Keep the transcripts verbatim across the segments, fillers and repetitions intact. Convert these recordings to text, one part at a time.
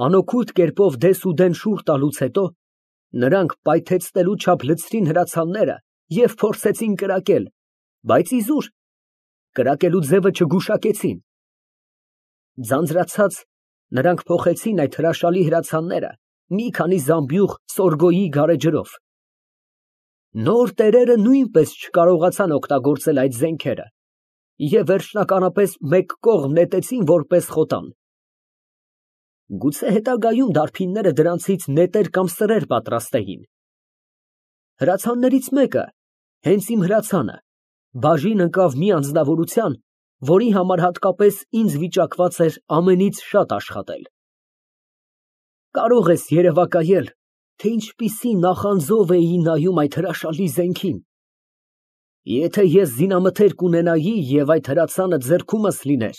Անօգուտ կերպով դեսուդեն շուռ տալուց հետո, նրանք պայթեցնելու չափ լցրին հրացանները և փորձեցին կրակել, բայց իզուր, կրակելու ձևը չգուշակեցին։ Ձանձրացած, նրանք փոխեցին այդ հրաշալի հրացանները մի քանի զամբյուղ սորգոյի գարեջրով։ Նոր տերերը նույնպես չկարողացան օգտագործել այդ զենքերը և վերջնականապես մեկ կողմ նետեցին որպես խոտան։ Գուցե հետագայում դարբինները դրանցից նետեր կամ սրեր պատրաստեին։ Հրացաններից մեկը, հենց իմ հրացանը, բաժին ընկավ մի անձնավորության, որի համար հատկապես ինձ վիճակված էր ամենից շատ աշխատել։ Կարող ես երևակայել, թե ինչպիսի նախանձով էի նայում այդ հրաշալի զենքին։ Եթե ես զինամթերք ունենայի և այդ հրացանը ձեռքումս լիներ,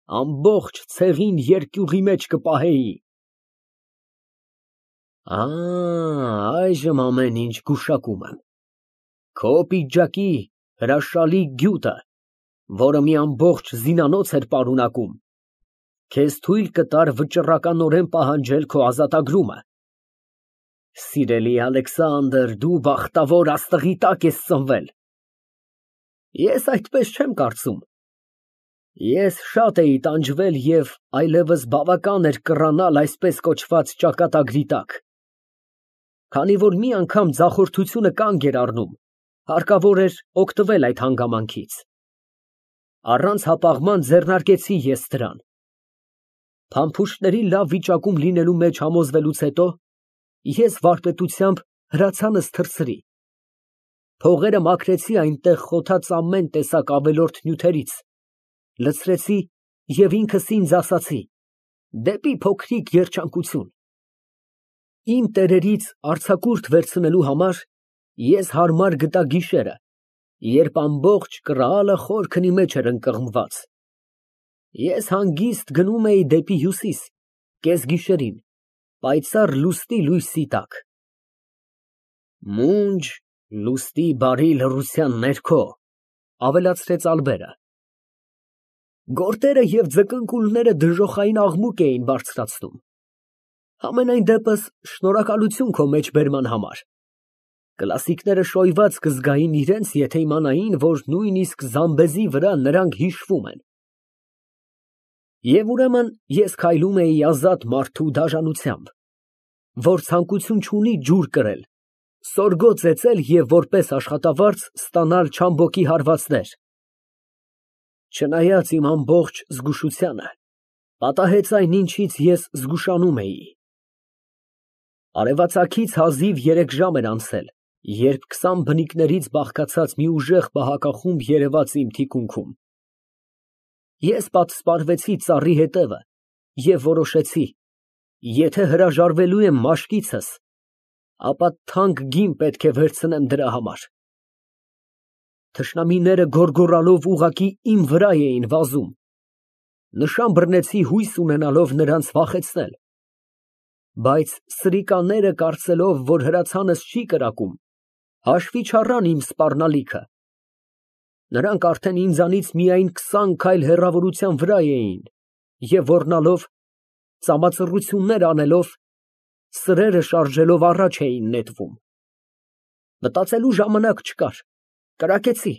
ամբողջ ցեղին երկյուղի մեջ կպահեի։ Ա, այժմ ամեն ինչ գուշակում եմ։ Քո պիջակի հրաշալի գյուտը, որը մի ամբողջ զինանոց էր պարունակում, քեզ թույլ կտար վճռականորեն պահանջել քո ազատագրումը։ Սիրելի Ալեքսանդր, դու բախտավոր աստղի տակ ես ծնվել։ Ես այդպես չեմ կարծում։ Ես շատ էի տանջվել և այլևս բավական էր կռանալ այսպես կոչված ճակատագրի տակ։ Քանի որ մի անգամ ձախորդությունը կանգ էր առնում, հարկավոր էր օգտվել այդ հանգամանքից։ Առանց հապաղման ձեռնարկեցի ես դրան։ Փամփուշտների լավ վիճակում լինելու մեջ համոզվելուց հետո, ես վարպետությամբ հրացանս թռցրի։ Փողերը մաքրեցի այնտեղ խոթած ամեն տեսակ ավելորդ նյութերից, լցրեցի և ինքս ինձ ասացի. դեպի փոքրիկ երջանկություն։ Իմ տերերից արձակուրդ վերցնելու համար ես հարմար գտա գիշերը, երբ ամբողջ կռալը խորքնի մեջ էր ընկղմված։ Ես հանգիստ գնում էի դեպի հյուսիս, կեսգիշերին, պայծառ լուսնի լույսի տակ։ Մունջ լուսնի բարի լռության ներքո, ավելացրեց Ալբերը։ Գորտերը և ձկնկուլները դժոխային աղմուկ էին բարձրացնում։ Համենայն դեպս, շնորհակալություն քո մեջբերման համար։ Կլասիկները շոյված կզգային իրենց, եթե իմանային, որ նույնիսկ Զամբեզի վրա նրանք հիշվում են։ Եվ ուրեմն ես քայլում էի ազատ մարդու դաժանությամբ, որ ցանկություն չունի ջուր կրել, սորգո ծեծել և որպես աշխատավարձ ստանալ չամբոկի հարվածներ։ Չնայած իմ ամբողջ զգուշությանը, պատահեց այն, ինչից ես զգուշանում էի։ Արևածագից հազիվ երեք ժամ էր անցել, երբ քսան բնիկներից բաղկացած մի ուժեղ պահակախումբ երևաց իմ թիկունքում։ Ես պատսպարվեցի ծառի հետևը և որոշեցի, եթե հրաժարվելու եմ մաշկիցս, ապա թանկ գին պետք է վերցնեմ դրա համար։ Թշնամիները գոռգոռալով ուղղակի իմ վրա էին վազում։ Նշան բռնեցի հույս ունենալով նրանց վախեցնել։ Բայց սրիկաները, կարծելով, որ հրացանս չի կրակում, հաշվի չառան իմ սպառնալիքը։ Նրանք արդեն ինձանից միայն քսան քայլ հեռավորության վրա էին և ոռնալով, ծամածռություններ անելով, սրերը շարժելով առաջ էին նետվում։ Մտածելու ժամանակ չկար, կրակեցի։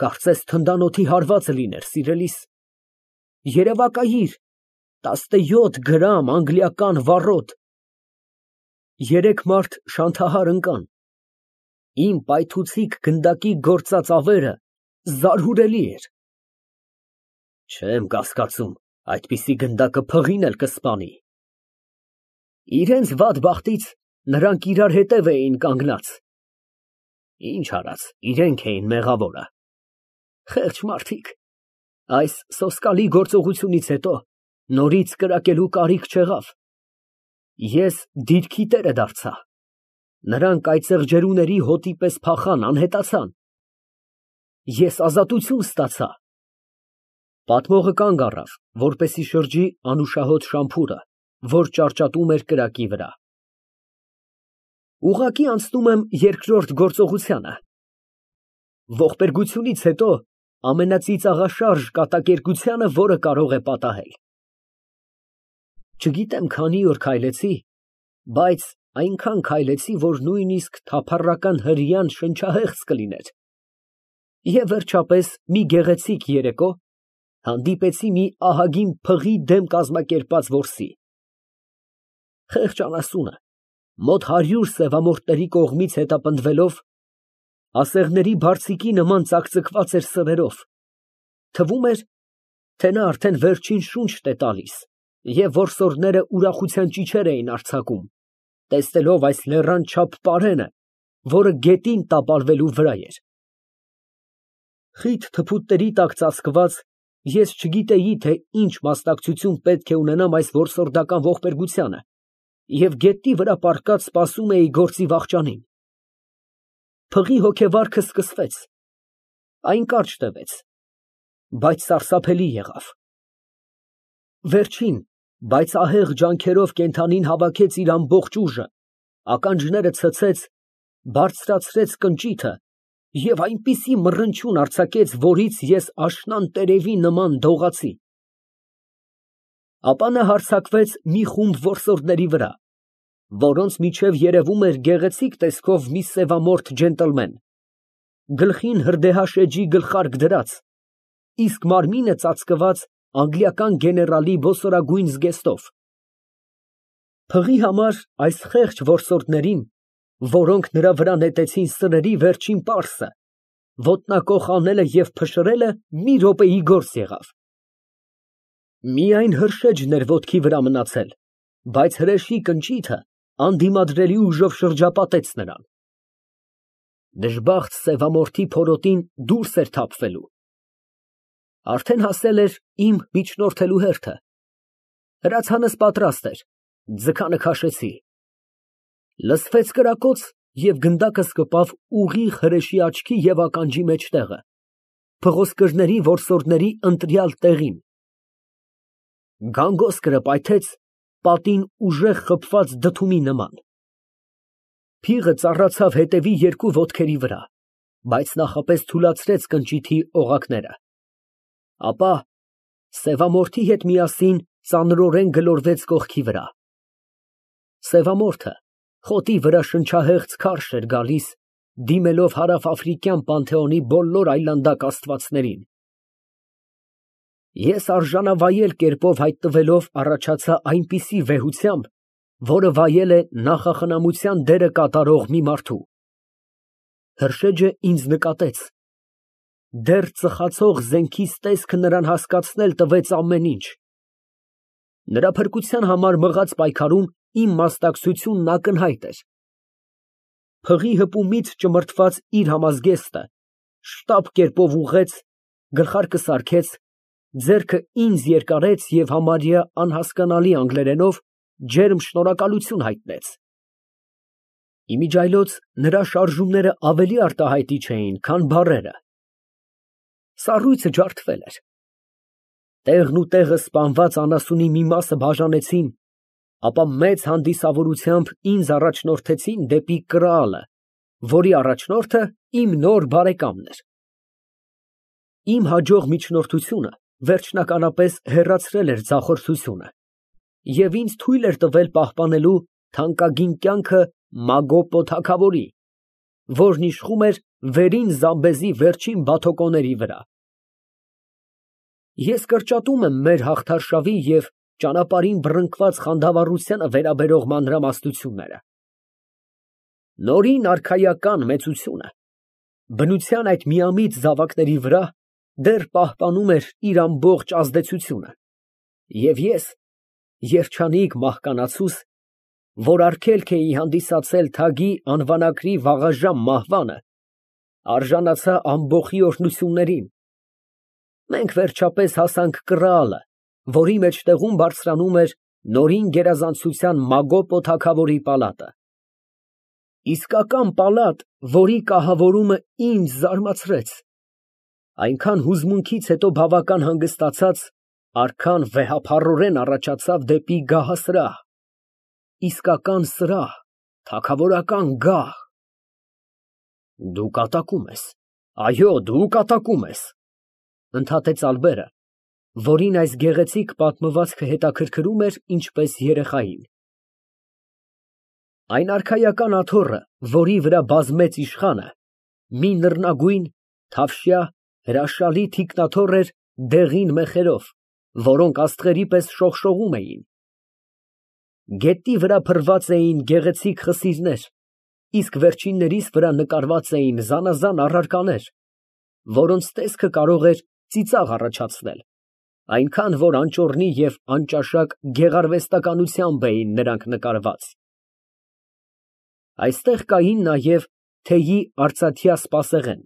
Կարծես թնդանոթի հարվածը լիներ, սիրելիս։ Երևակայիր, տասնյոթ գրամ անգլիական վառոդ։ Երեք մարդ շանթահար ընկան։ Իմ պայթուցիկ գնդակի գործած ավերը զարհուրելի էր։ Չեմ կասկածում, այդպիսի գնդակը փղին էլ կսպանի։ Իրենց վատ բախտից նրանք իրար հետև էին կանգնած։ Ինչ արած, իրենք էին մեղավորը։ Խեղճ մարդիկ, այս սոսկալի գործողությունից հետո նորից կրակելու կարիք չեղավ։ Ես դիրքի տերը դարձա։ Նրանք այծեղ ջերուների հոտի պես փախան, անհետացան։ Ես ազատություն ստացա։ Պատմողը կանգ առավ, որպեսզի շրջի անուշահոտ շամփուրը, որ ճարճատում էր կրակի վրա։ Ուղղակի անցնում եմ երկրորդ գործողությանը։ Ողբերգությունից հետո ամենածիծաղաշարժ կատակերգությանը, որը կարող է պատահել։ Չգիտեմ քանի օր քայլեցի, բայց այնքան քայլեցի, որ նույնիսկ թափառական հրեան շնչահեղձ կլիներ։ Եվ վերջապես մի գեղեցիկ երեկո հանդիպեցի մի ահագին փղի դեմ կազմակերպած որսի։ Խեղճ անասունը, մոտ հարյուր սևամորթների կողմից հետապնդվելով, ասեղների բարձիկի նման ծակծկված էր սրերով, թվում էր, թե նա արդեն վերջին շունչն է տալիս, և որսորդները ուրախության ճիչեր էին արձակում, տեսնելով այս լեռան չափ պարենը, որը գետին տապալվելու վրա էր։ Խիտ թփուտների տակ ծածկված, ես չգիտեի, թե ինչ մասնակցություն պետք է ունենամ այս որսորդական ողբերգությանը, և գետնի վրա պառկած սպասում էի գործի վախճանին։ Փղի հոգեվարքը սկսվեց, այն կարճ տևեց, բայց սարսափելի եղավ։ Վերջին, բայց ահեղ ջանքերով կենդանին հավաքեց իր ամբողջ ուժը, ականջները ցցեց, բարձրացրեց կնճիթը և այնպիսի մռնչյուն արձակեց, որից ես աշնան տերևի նման դողացի։ Ապա նա հարձակվեց մի խումբ որսորդների վրա, որոնց միջև երևում էր գեղեցիկ տեսքով մի սևամորթ ջենտլմեն, գլխին հրդեհաշեջի գլխարկ դրած, իսկ մարմինը ծածկված անգլիական գեներալի ոսորագույն զգեստով։ Փղի համար այս խեղճ որսորդներին, որոնք նրա վրա նետեցին սրերի վերջին պարսը, ոտնակոխ անելը և փշրելը մի րոպեի գործ եղավ։ Միայն հրշեջն էր ոտքի վրա մնացել, բայց հրեշի կնճիթը անդիմադրելի ուժով շրջապատեց նրան։ Դժբախտ սևամորթի փորոտին դուրս էր թափվելու։ Արդեն հասել էր իմ միջնորդելու հերթը։ Հրացանս պատրաստ էր, ձգանը քաշեցի։ Լսվեց կրակոց, և գնդակս կպավ ուղիղ հրեշի աչքի և ականջի մեջտեղը, փղոսկրների որսորդների ընտրյալ տեղին։ Գանգոսկրը պայթեց պատին ուժեղ խփված դդումի նման։ Փիղը ծառացավ հետևի երկու ոտքերի վրա, բայց նախապես թուլացրեց կնճիթի օղակները։ Ապա սևամորթի հետ միասին ծանրորեն գլորվեց կողքի վրա։ Սևամորթը խոտի վրա շնչահեղձ քարշ էր գալիս, դիմելով հարավաֆրիկյան պանթեոնի բոլոր այլանդակ աստվածներին։ Ես արժանավայել կերպով հայտնվելով առաջացա այնպիսի վեհությամբ, որը վայել է նախախնամության դերը կատարող մի մարդու։ Հրշեջը ինձ նկատեց։ Դեռ ծխացող զենքիս տեսքը նրան հասկացնել տվեց ամեն ինչ։ Նրա փրկության համար մղած պայքարում իմ մասնակցությունն ակնհայտ էր։ Փղի հպումից ճմրթված իր համազգեստը շտապ կերպով ուղղեց, գլխարկը սարքեց, ձեռքը ինձ երկարեց և համարյա անհասկանալի անգլերենով ջերմ շնորհակալություն հայտնեց։ Իմիջիայլոց նրա շարժումները ավելի արտահայտիչ էին, քան բառերը։ Սառույցը ջարդվել էր։ Տեղն ու տեղը սպանված անասունի մի մասը բաժանեցին, ապա մեծ հանդիսավորությամբ ինձ առաջնորդեցին դեպի կրալը, որի առաջնորդը իմ նոր բարեկամն էր։ Իմ հաջող միջնորդությունը վերջնականապես հեռացրել էր ձախորդությունը և ինձ թույլ էր տվել պահպանելու թանկագին կյանքը Մագոպո թագավորի, որն իշխում էր վերին Զամբեզի վերջին բաթոկոների վրա։ Ես կրճատում եմ մեր հաղթարշավի և ճանապարհին բռնկված խանդավառությանը վերաբերող մանրամասնությունները։ Նորին արքայական մեծությունը բնության այդ միամիտ զավակների վրա դեռ պահպանում էր իր ամբողջ ազդեցությունը, և ես, երջանիկ մահկանացուս, որ արգելք էի հանդիսացել թագի անվանակրի վաղաժամ մահվանը, արժանացա ամբոխի օրհնություններին։ Մենք վերջապես հասանք կրալը, որի մեջտեղում բարձրանում էր նորին գերազանցության Մագոպո թագավորի պալատը։ Իսկական պալատ, որի կահավորումը ինձ զարմացրեց։ Այնքան հուզմունքից հետո բավական հանգստացած, արքան վեհափառորեն առաջացավ դեպի գահասրահ, իսկական սրահ, թագավորական գահ։ Դու կատակում ես, այո, դու կատակում ես, ընդհատեց Ալբերը, որին այս գեղեցիկ պատմվածքը հետաքրքրում էր ինչպես երեխային։ Այն արքայական աթոռը, որի վրա բազմեց իշխանը, մի նռնագույն, թավշյա, հրաշալի թիկնաթոռ էր դեղին մեխերով, որոնք աստղերի պես շողշողում էին։ Գետնի վրա փռված էին գեղեցիկ խսիրներ, իսկ վերջիններիս վրա նկարված էին զանազան առարկաներ, որոնց տեսքը կարող էր ծիծաղ առաջացնել, այնքան որ անճոռնի և անճաշակ գեղարվեստականությամբ էին նրանք նկարված։ Այստեղ կային նաև թեյի արծաթյա սպասեղեն,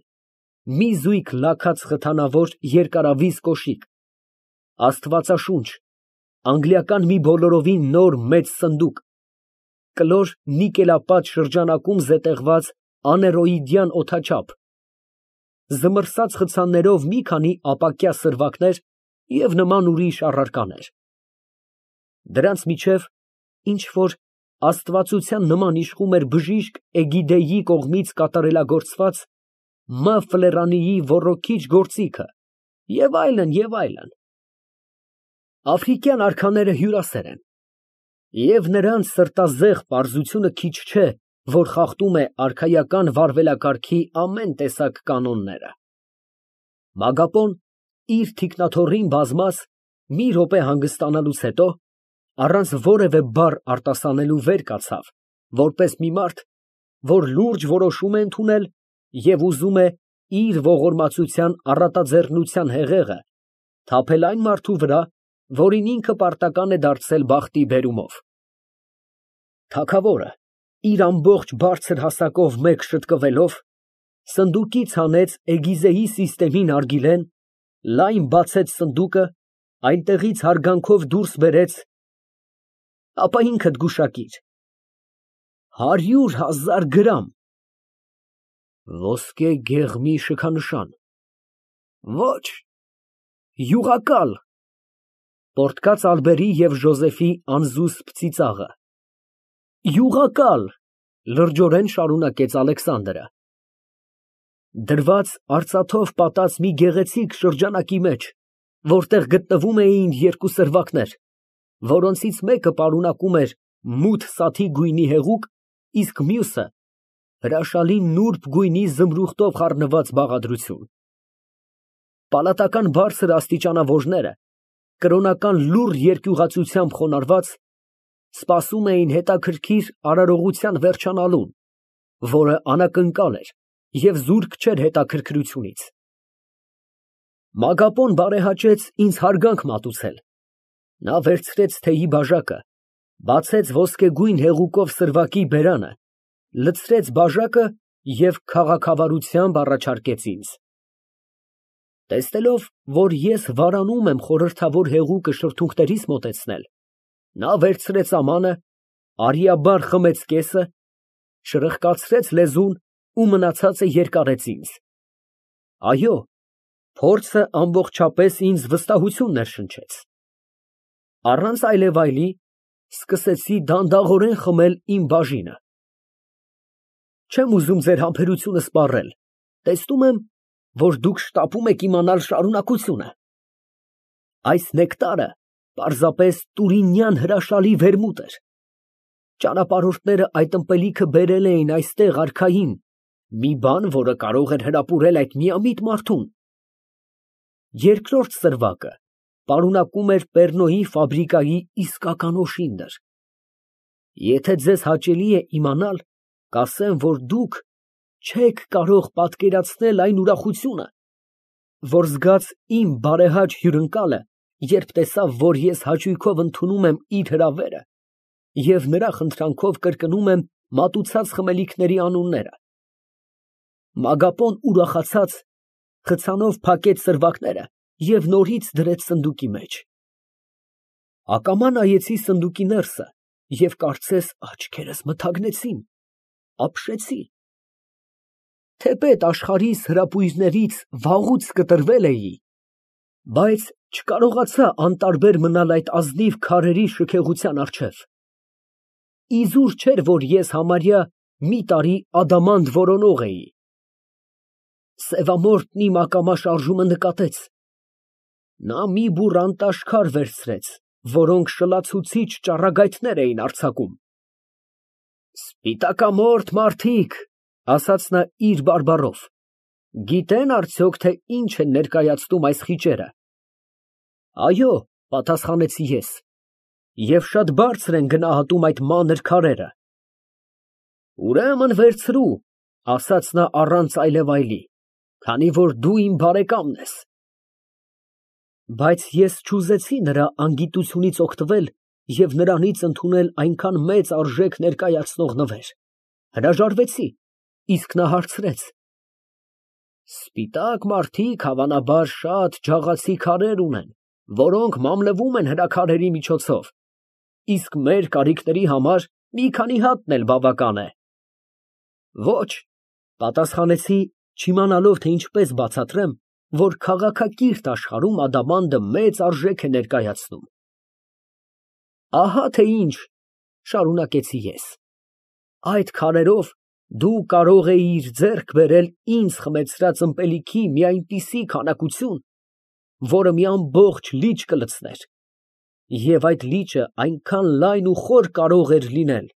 մի զույգ լաքած խթանավոր երկարավիզ կոշիկ, աստվածաշունչ, անգլիական մի բոլորովին նոր մեծ սնդուկ, կլոր նիկելապատ շրջանակում զետեղված աներոիդյան օդաչափ, զմռսած խցաններով մի քանի ապակյա սրվակներ և նման ուրիշ առարկաներ։ Դրանց միջև ինչ֊որ աստվածության նման իշխում էր բժիշկ Էգիդեի կողմից կատարելագործված Մ. Ֆլերանիի ոռոգիչ գործիքը և այլն, և այլն։ Աֆրիկյան արքաները հյուրասեր են, և նրանց սրտազեղ պարզությունը քիչ չէ, որ խախտում է արքայական վարվելակարգի ամեն տեսակ կանոնները։ Մագապոն, իր թիկնաթոռին բազմած մի րոպե հանգստանալուց հետո, առանց որևէ բառ արտասանելու վեր կացավ, որպես մի մարդ, որ լուրջ որոշում է ընդունել և ուզում է իր ողորմածության առատաձեռնության հեղեղը թափել այն մարդու վրա, որին ինքը պարտական է դարձել բախտի բերումով։ Թագավորը, իր ամբողջ բարձր հասակով մեկ շտկվելով, սնդուկից հանեց Էգիզեի սիստեմի նարգիլեն, լայն բացեց սնդուկը, այնտեղից հարգանքով դուրս բերեց, ապա ինքդ գուշակիր, հարյուր հազար գրամ ոսկե գեղմի շքանշան, ոչ, յուղակալ, պոռթկաց Ալբերի և Ժոզեֆի անզուսպ ծիծաղը, յուղակալ, լրջորեն շարունակեց Ալեքսանդրը, դրված արծաթով պատած մի գեղեցիկ շրջանակի մեջ, որտեղ գտնվում էին երկու սրվակներ, որոնցից մեկը պարունակում էր մութ սաթի գույնի հեղուկ, իսկ մյուսը հրաշալի նուրբ գույնի զմրուխտով խառնված բաղադրություն։ Պալատական բարձր աստիճանավորները, կրոնական լուռ երկյուղածությամբ խոնարհված, սպասում էին հետաքրքիր արարողության վերջանալուն, որը անակնկալ էր և զուրկ չէր հետաքրքրությունից։ Մագապոն բարեհաճեց ինձ հարգանք մատուցել, նա վերցրեց թեյի բաժակը, բացեց ոսկեգույն հեղուկով սրվակի բերանը, լցրեց բաժակը և քաղաքավարությամբ առաջարկեց ինձ։ Տեսնելով, որ ես վարանում եմ խորհրդավոր հեղուկը շրթունքներիս մոտեցնել, նա վերցրեց ամանը, արիաբար խմեց կեսը, շրխկացրեց լեզուն ու մնացածը երկարեց ինձ։ Այո, փորձը ամբողջապես ինձ վստահություն ներշնչեց։ Առանց այլևայլի, սկսեցի դանդաղորեն խմել իմ բաժինը։ Չեմ ուզում ձեր համբերությունը սպառել, տեսնում եմ, որ դուք շտապում եք իմանալ շարունակությունը։ Այս նեկտարը պարզապես տուրինյան հրաշալի վերմուտ էր։ Ճանապարհորդները այդ ըմպելիքը բերել էին այստեղ արքային, մի բան, որը կարող էր հրապուրել այդ միամիտ մարդուն։ Երկրորդ սրվակը պարունակում էր Պեռնոյի ֆաբրիկայի իսկական օշինդր։ Եթե ձեզ հաճելի է իմանալ, կասեմ, որ դուք չեք կարող պատկերացնել այն ուրախությունը, որ զգաց իմ բարեհաճ հյուրընկալը, երբ տեսավ, որ ես հաճույքով ընդունում եմ իր հրավերը և նրա խնդրանքով կրկնում եմ մատուցած խմելիքների անունները։ Մագապոն ուրախացած խցանով փակեց սրվակները և նորից դրեց սնդուկի մեջ։ Ակամա նայեցի սնդուկի ներսը և կարծես աչքերս մթագնեցին, ապշեցի։ Թեպետ աշխարհիս հրապույրներից վաղուց կտրվել էի, բայց չկարողացա անտարբեր մնալ այդ ազնիվ քարերի շքեղության առջև։ Իզուր չէր, որ ես համարյա մի տարի ադամանդ որոնող էի։ Սևամորթն իմ ակամա շարժումը նկատեց, Նա մի բուռ անտաշքար վերցրեց, որոնք շլացուցիչ ճառագայթներ էին արձակում։ Սպիտակամորթ մարդիկ, ասաց նա իր բարբառով, գիտե՞ն արդյոք, թե ինչ են ներկայացնում այս խիճերը։ Այո, պատասխանեցի ես, և շատ բարձր են գնահատում այդ մանր քարերը։ Ուրեմն վերցրու, ասաց նա առանց այլևայլի, քանի որ դու իմ բարեկամն ես։ Բայց ես չուզեցի նրա անգիտությունից օգտվել և նրանից ընդունել այնքան մեծ արժեք ներկայացնող նվեր, հրաժարվեցի, իսկ նա հարցրեց. Սպիտակ մարդիկ, հավանաբար, շատ ջաղացի քարեր ունեն, որոնք մամլվում են հրաքարերի միջոցով, իսկ մեր կարիքների համար մի քանի հատն էլ բավական է։ Ոչ, պատասխանեցի, չիմանալով, թե ինչպես բացատրեմ, որ քաղաքակիրթ աշխարհում ադամանդը մեծ արժեք է ներկայացնում։ Ահա թե ինչ, շարունակեցի ես, այդ քարերով դու կարող էիր ձեռք բերել ինձ խմեցրած ըմպելիքի մի այնպիսի քանակություն, որը մի ամբողջ լիճ կլցներ, և այդ լիճը այնքան լայն ու խոր կարող էր լինել,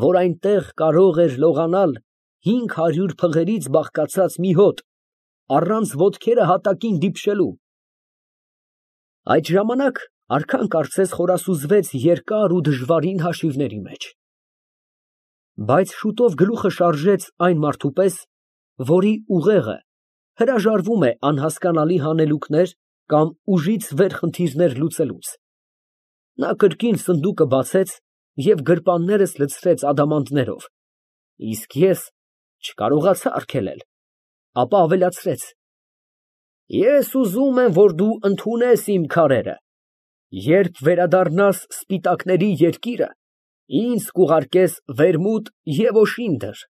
որ այնտեղ կարող էր լողանալ հինգ հարյուր փղերից բաղկացած մի հոտ, առանց ոտքերը հատակին դիպչելու։ Այդ ժամանակ արքան կարծես խորասուզվեց երկար ու դժվարին հաշիվների մեջ։ Բայց շուտով գլուխը շարժեց այն մարդու պես, որի ուղեղը հրաժարվում է անհասկանալի հանելուկներ կամ ուժից վեր խնդիրներ լուծելուց։ Նա կրկին սնդուկը բացեց և գրպաններս լցրեց ադամանդներով, իսկ ես չկարողացա արգելել, ապա ավելացրեց. Ես ուզում եմ, որ դու ընդունես իմ քարերը, երբ վերադառնաս սպիտակների երկիրը, ինձ կուղարկես վերմուտ և օշինդր։